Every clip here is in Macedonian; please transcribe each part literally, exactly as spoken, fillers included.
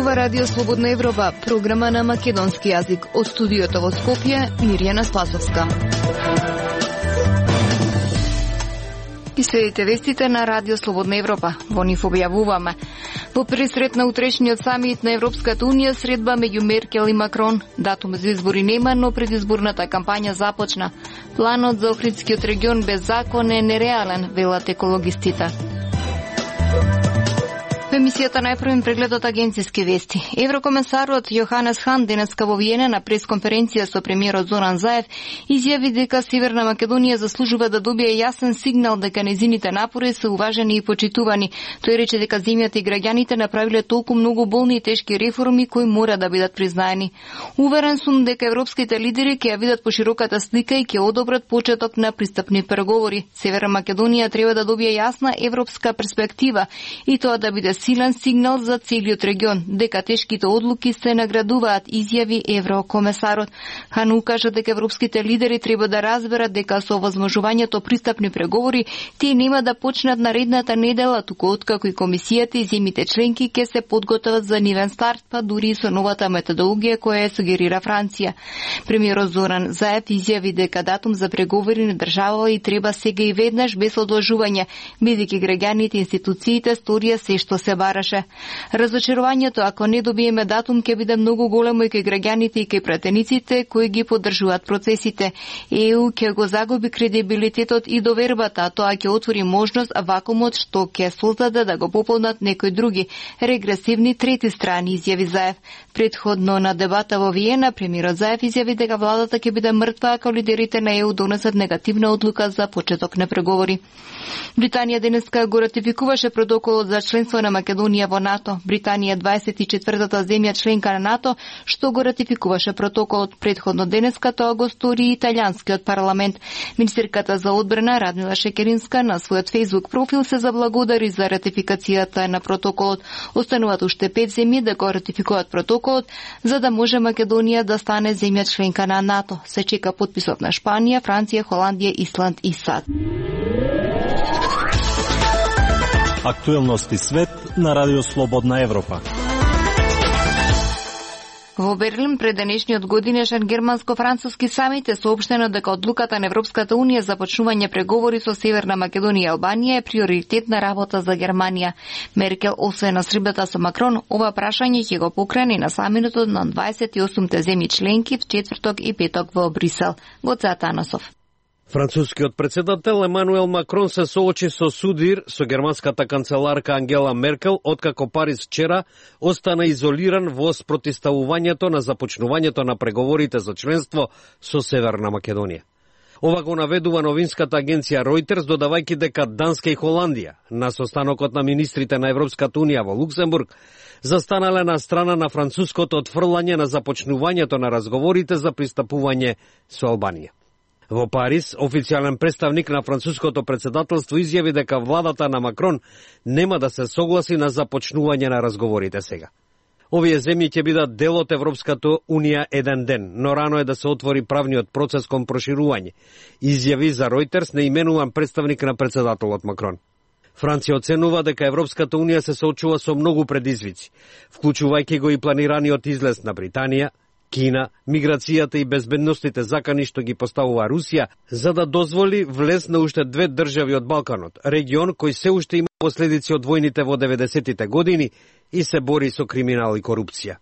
Ова радио Слободна Европа, програма на македонски јазик. Од студиото во Скопје, Мирјана Спасовска. И следите вестите на радио Слободна Европа. Во нив објавуваме: во пресрет на утрешниот самит на Европската унија средба меѓу Меркел и Макрон. Датум за избори нема, но предизборната кампања започна. Планот за Охридскиот регион без закон е нереален, велат екологистите. Во емисијата најпрвен преглед од агенциски вести. Еврокомесарот Јоханес Хан денеска во Виена на пресконференција со премиерот Зоран Заев изјави дека Северна Македонија заслужува да добие јасен сигнал дека незините напори се уважени и почитувани. Тој рече дека земјата и граѓаните направиле толку многу болни и тешки реформи кои мора да бидат признаени. Уверен сум дека европските лидери ќе ја видат пошироката слика и ќе одобрат почеток на пристапни преговори. Северна Македонија треба да добие јасна европска перспектива и тоа да биде силен сигнал за целиот регион, дека тешките одлуки се наградуваат, изјави еврокомесарот. Хан укажа дека европските лидери треба да разберат дека со овозможувањето пристапни преговори тие нема да почнат наредната недела, туку откако и комисијата и земјите членки ќе се подготват за нивен старт, па дури и со новата методологија која ја сугерира Франција. Премиерот Зоран Заев изјави дека датум за преговори не држава и треба сега и веднаш без одложување, бидејќи граѓаните и институциите сторија се што се бараше. Разочарувањето ако не добиеме датум ќе биде многу големо и кај граѓаните и кај пратениците кои ги поддржуваат процесите. ЕУ ќе го загуби кредибилитетот и довербата, а тоа ќе отвори можност вакуумот што ќе создаде да го пополнат некои други регресивни трети страни, изјави Заев. Предходно на дебата во Виена, премиерот Заев изјави дека владата ќе биде мртва ако лидерите на ЕУ донесат негативна одлука за почеток на преговори. Британија денеска го ратификуваше протоколот за членство на Македонија во НАТО. Британија е дваесет и четвртата земја членка на НАТО што го ратификуваше протоколот. Предходно денеска тоа го стори и италијанскиот парламент. Министерката за одбрана Радмила Шекеринска на својот фејсбук профил се заблагодари за ратификацијата на протоколот. Остануваат уште пет земји да го ратификуваат протоколот за да може Македонија да стане земја членка на НАТО. Се чека потписот на Шпанија, Франција, Холандија, Исланд и САД. Актуелности свет на Радио Слободна Европа. Во Берлин пред денешниот годинешен германско-француски самит е соопштено дека одлуката на Европската унија за почнување преговори со Северна Македонија и Албанија е приоритетна работа за Германија. Меркел, освен на сребата со Макрон, ова прашање ќе го покрени на самитот на дваесет и осумте земји членки в четврток и петок во Брисел. Гоце Атанасов. Францускиот председател Емануел Макрон се соочи со судир со германската канцеларка Ангела Меркел, откако Париз вчера остана изолиран во спротивставувањето на започнувањето на преговорите за членство со Северна Македонија. Ова го наведува новинската агенција Reuters, додавајќи дека Данска и Холандија на состанокот на министрите на Европската унија во Луксембург застанале на страна на француското отфрлање на започнувањето на разговорите за пристапување со Албанија. Во Париз, официјален представник на француското председателство изјави дека владата на Макрон нема да се согласи на започнување на разговорите сега. Овие земји ќе бидат дел од Европската унија еден ден, но рано е да се отвори правниот процес кон проширување, изјави за Reuters неименуван представник на председателот Макрон. Франција оценува дека Европската унија се соочува со многу предизвици, вклучувајќи го и планираниот излез на Британија, Кина, миграцијата и безбедностите закани што ги поставува Русија, за да дозволи влез на уште две држави од Балканот, регион кој се уште има последици од војните во деветдесетите години и се бори со криминал и корупција.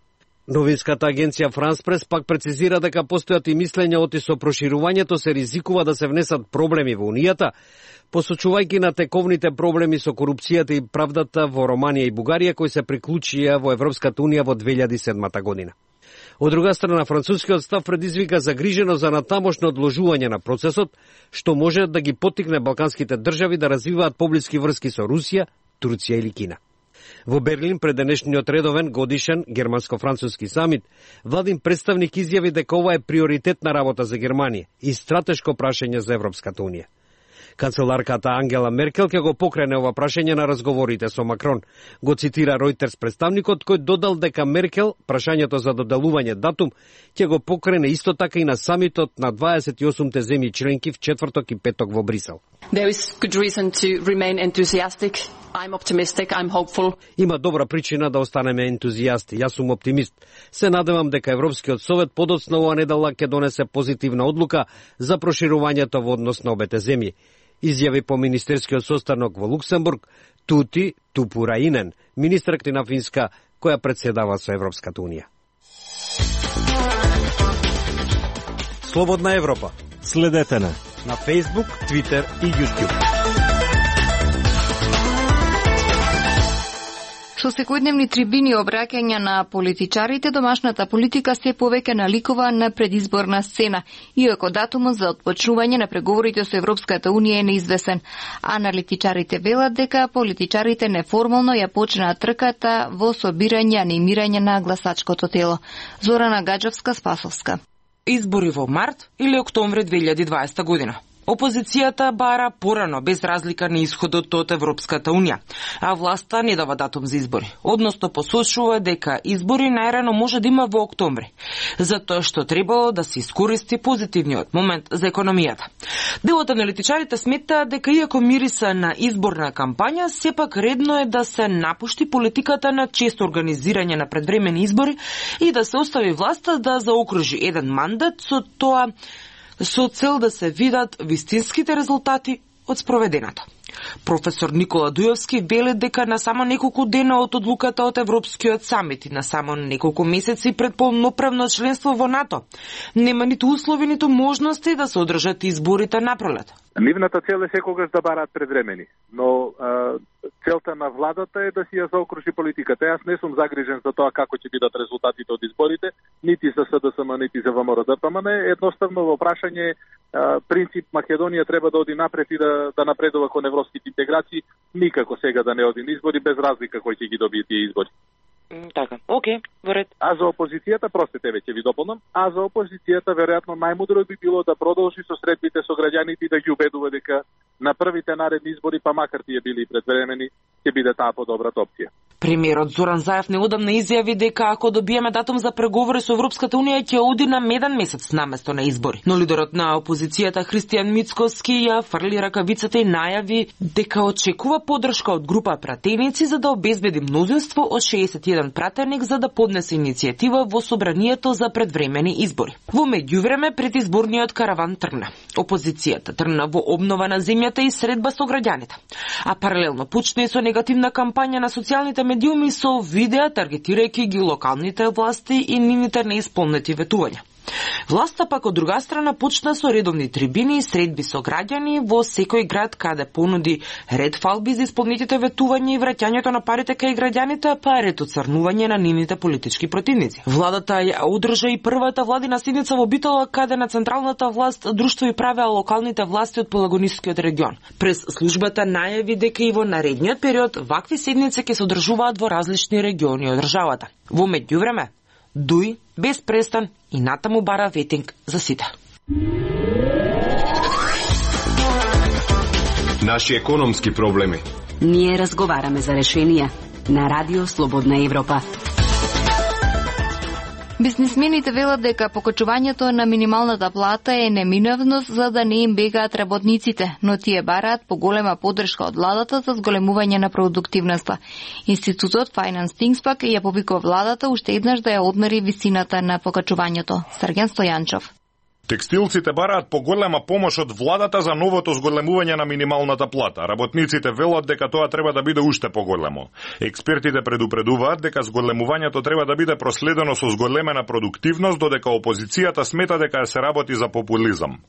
Новинската агенција Франс Прес пак прецизира дека постојат и мислења оти со проширувањето се ризикува да се внесат проблеми во Унијата, посочувајќи на тековните проблеми со корупцијата и правдата во Романија и Бугарија кои се приклучија во Европската унија во две илјади и седма година. Од друга страна, францускиот став предизвика загрижено за натамошно одложување на процесот, што може да ги поттикне балканските држави да развиваат поблиски врски со Русија, Турција или Кина. Во Берлин пред денешниот редовен годишен германско-француски самит, владин представник изјави дека ова е приоритетна работа за Германија и стратешко прашање за Европската унија. Канцеларката Ангела Меркел ќе го покрене ова прашање на разговорите со Макрон. Го цитира Ројтерс представникот, кој додал дека Меркел прашањето за доделување датум ќе го покрене исто така и на самитот на дваесет и осумте земји членки в четврток и петок во Брисел. There is good reason to remain enthusiastic. I'm optimistic, I'm hopeful. Има добра причина да останеме ентузијасти. Јас сум оптимист. Се надевам дека Европскиот совет подоцна оваа недела ќе донесе позитивна одлука за проширувањето во однос на обете земји. Изјави по министерскиот состанок во Луксембург Тути Тупураинен, министерка на Финска, која председава со Европската унија. Слободна Европа. Следете на на Facebook, Twitter и YouTube. Со секојдневни трибини обраќања на политичарите, домашната политика се повеќе наликува на предизборна сцена, иако датумот за отпочнување на преговорите со Европската унија е неизвестен. Аналитичарите велат дека политичарите неформално ја почнаа трката во собирање, анимирање на гласачкото тело. Зорана Гаджовска-Спасовска. Избори во март или октомври две илјади и дваесета година. Опозицијата бара порано, без разлика на исходот од Европската унија, а власта не дава датум за избори. Односно посочува дека избори најрано може да има во октомври, затоа што требало да се искористи позитивниот момент за економијата. Дел од аналитичарите смета дека иако мириса на изборна кампања, сепак редно е да се напушти политиката на често организирање на предвремени избори и да се остави власта да заокружи еден мандат, со тоа со цел да се видат вистинските резултати од спроведеното. Професор Никола Дујовски вели дека на само неколку дена од одлуката од Европскиот самит и на само неколку месеци пред полноправно членство во НАТО нема ниту услови, ниту можности да се одржат изборите напролет. Нивната цел е секогаш да бараат предвремени, но а, целта на владата е да си ја заокружи политиката. Јас не сум загрижен за тоа како ќе бидат резултатите од изборите, нити за СДСМ, нити за ВМРО-ДПМН. Едноставно во прашање а, принцип Македонија треба да оди напред и да, да напредува кон европските интеграции, никако сега да не оди на избори, без разлика кој ќе ги добие тие избори. Така, окей, во ред. А за опозицијата, простите, веќе ви дополнам, а за опозицијата веројатно најмудро би било да продолжи со средбите со граѓаните и да ги убедува дека на првите наредни избори, па макар тие били предвремени, ќе биде таа подобрата опција. Премиерот Зоран Заев неодамна изјави дека ако добиеме датум за преговори со Европската унија ќе оди на меден месец наместо на избори. Но лидерот на опозицијата Христијан Мицкоски ја фрли ракавицата и најави дека очекува поддршка од група пратеници за да обезбеди мнозинство од шеесет и еден пратеник за да поднесе иницијатива во собранието за предвремени избори. Во меѓувреме предизборниот караван тргна. Опозицијата тргна во обнова на земјата и средба со граѓаните. А паралелно почна и со негативна кампања на социјалните медиуми со видеа таргетирајќи ги локалните власти и нивните неисполнети ветувања. Власта пак од друга страна почна со редовни трибини и средби со граѓани во секој град каде понуди ред фалби за исполнетите ветувања и враќањето на парите кај граѓаните, па ред оцрнување на нивните политички противници. Владата ја одржа и првата владина седница во Битола каде на централната власт друштво и правеа локалните власти од Пелагонискиот регион. Прес службата најави дека и во наредниот период вакви седници ќе се одржуваат во различни региони од државата. Во меѓувреме Дуј без престан и натаму бара ветинг за сите. Наши економски проблеми. Ние разговараме за решенија на Радио Слободна Европа. Бизнисмените велат дека покачувањето на минималната плата е неминавност за да не им бегаат работниците, но тие бараат поголема поддршка од владата за зголемување на продуктивноста. Институтот Finance Things пак ја повикува владата уште еднаш да ја одмери висината на покачувањето. Срген Стојанчов. Текстилците бараат поголема помош од владата за новото зголемување на минималната плата. Работниците велат дека тоа треба да биде уште поголемо. Експертите предупредуваат дека зголемувањето треба да биде проследено со зголемена продуктивност, додека опозицијата смета дека се работи за популизам.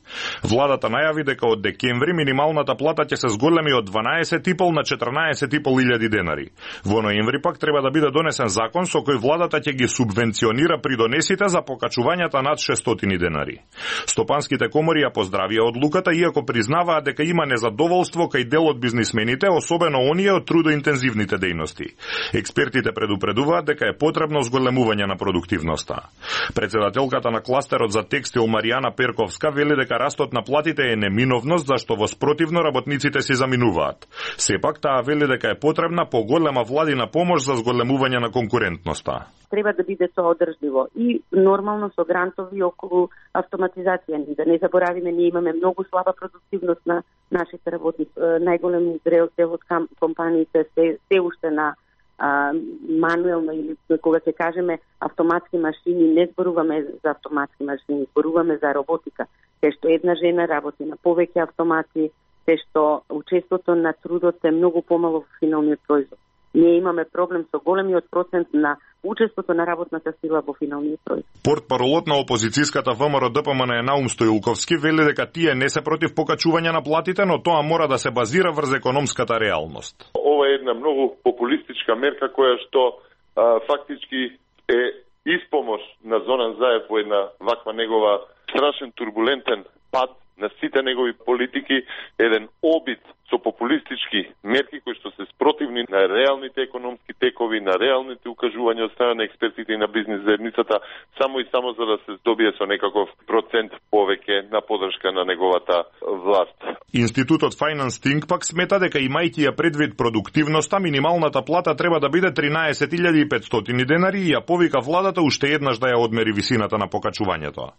Владата најави дека од декември минималната плата ќе се зголеми од дванаесет и пол на четрнаесет и пол илјади денари. Во ноември пак треба да биде донесен закон со кој владата ќе ги субвенционира придонесите за покачувањата над шестстотини денари. Стопанските комори ја поздравија одлуката, иако признаваат дека има незадоволство кај дел од бизнисмените, особено оние од трудоинтензивните дејности. Експертите предупредуваат дека е потребно зголемување на продуктивноста. Председателката на кластерот за текстил Маријана Перковска вели дека растот на платите е неминовност, зашто во спротивно работниците си заминуваат. Сепак таа вели дека е потребна поголема владина помош за зголемување на конкурентноста. Треба да биде тоа одржливо и нормално со грантови околу автоматизација. Да не заборавиме, ние имаме многу слаба продуктивност на нашите работници. Најголем дел од компаниите се, се уште на а, мануелно или кога ќе кажеме автоматски машини, не зборуваме за автоматски машини, зборуваме за роботика. Те што една жена работи на повеќе автомати, те што учеството на трудот е многу помало во финалниот производ. Ние имаме проблем со големиот процент на учеството на работната сила во финалниот производ. Портпаролот на опозицијската ВМРО Д П М Н Наум Стоилковски вели дека тие не се против покачување на платите, но тоа мора да се базира врз економската реалност. Ова е една многу популистичка мерка која што а, фактички е испомош на Зоран Заев во една ваква негова страшен турбулентен пат на сите негови политики, еден обид со популистички мерки кои што се спротивни на реалните економски текови, на реалните укажувања од страна на експертите и на бизнис заедницата, само и само за да се здобие со некаков процент повеќе на подршка на неговата власт. Институтот Finance Think пак смета дека имајќи ја предвид продуктивноста, минималната плата треба да биде тринаесет илјади и петстотини денари и ја повика владата уште еднаш да ја одмери висината на покачувањето.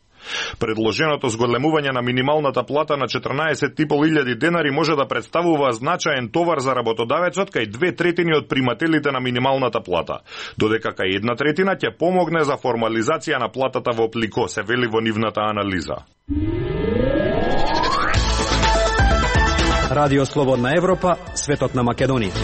Предложеното зголемување на минималната плата на четрнаесет и пол илјади денари може да представува значаен товар за работодавецот кај две третини од примателите на минималната плата, додека кај една третина ќе помогне за формализација на платата во Плико, се вели во нивната анализа. Радио Слободна Европа, светот на Македонија.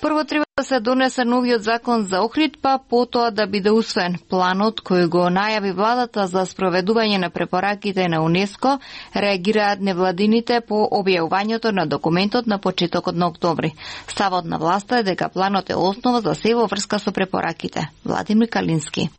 Прво треба да се донесе новиот закон за Охрид, па потоа да биде усвоен. Планот кој го најави владата за спроведување на препораките на УНЕСКО реагираат невладините по објавувањето на документот на почетокот на октомври. Ставот на власта е дека планот е основа за се во врска со препораките. Владимир Калински.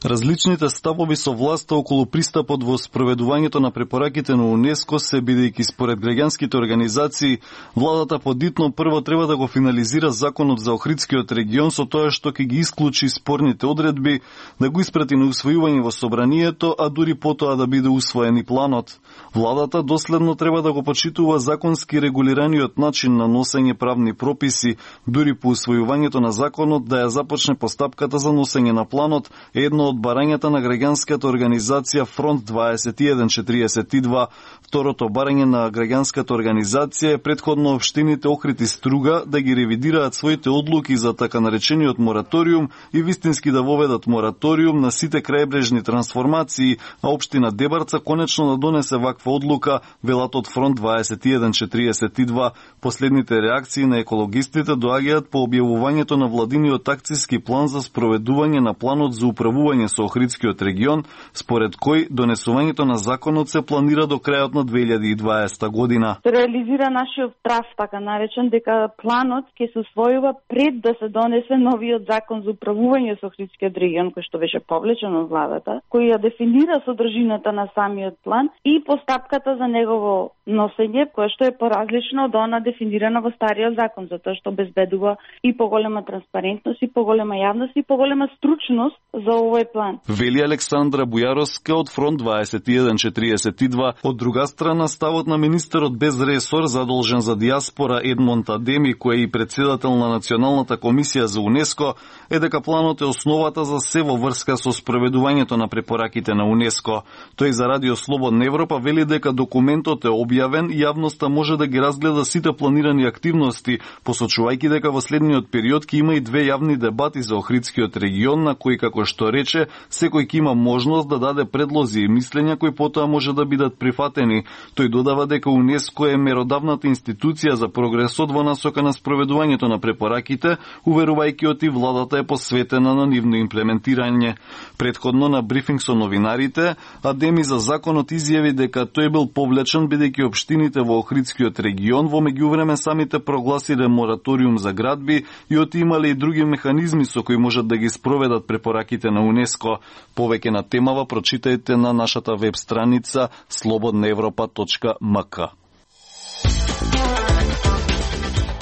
Различните ставови со власта околу пристапот во спроведувањето на препораките на УНЕСКО се бидејќи според граѓанските организации, владата подитно прво треба да го финализира законот за Охридскиот регион со тоа што ќе ги исклучи спорните одредби, да го испрати на усвојување во собранието, а дури потоа да биде усвоен и планот. Владата доследно треба да го почитува законски регулираниот начин на носење правни прописи, дури по усвојувањето на законот да ја започне постапката за носење на планот, едно од барањата на граѓанската организација Фронт дваесет и еден четириесет и два. Второто барање на граѓанската организација е предходно општините Охрид и Струга да ги ревидираат своите одлуки за така наречениот мораториум и вистински да воведат мораториум на сите крајбрежни трансформации, а општина Дебарца конечно да донесе ваква одлука, велат од Фронт дваесет и еден четириесет и два. Последните реакции на екологистите доаѓаат по објавувањето на владиниот акцијски план за спроведување на планот за управување со Охридскиот регион, според кој донесувањето на законот се планира до крајот на две илјади и дваесета година. Се реализира нашиот прав, така наречен, дека планот ќе се усвојува пред да се донесе новиот закон за управување со Охридскиот регион, кој што беше повлечен од владата, кој ја дефинира содржината на самиот план и постапката за негово носење, која што е поразлично од она дефинирана во стариот закон, затоа што обезбедува и поголема транспарентност, и поголема јавност, и поголема стручност за овој план. Вели Александра Бујаровска од Фронт дваесет и еден четириесет и два. Од друга страна, ставот на министерот без ресор задолжен за диаспора Едмонд Адеми, кој е и председател на Националната комисија за УНЕСКО, е дека планот е основата за се во врска со спроведувањето на препораките на УНЕСКО. Тој за Радио Слободна Европа вели дека документот е објавен и јавноста може да ги разгледа сите планирани активности, посочувајќи дека во следниот период ќе има и две јавни дебати за Охридскиот регион, на кои, како што рече, секој ќе има можност да даде предлози и мислења кои потоа може да бидат прифатени. Тој додава дека УНЕСКО е меродавната институција за прогресот во насока на спроведувањето на препораките, уверувајќи оти владата е посветена на нивно имплементирање. Предходно на брифинг со новинарите, Адеми за законот изјави дека тој бил повлечен бидејќи општините во Охридскиот регион во меѓувреме самите прогласиле мораториум за градби и оти имале и други механизми со кои можат да ги спроведат препораките на УНЕСКО. ЮНЕСКО. Повеќе на темава прочитајте на нашата веб страница слободна европа точка м к.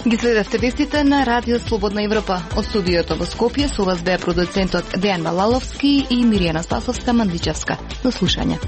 Ги следевте вестите на Радио Слободна Европа. Од студиото во Скопје со вас беа продуцентот Дејан Малаловски и Миријана Спасовска Мандличевска. До слушање.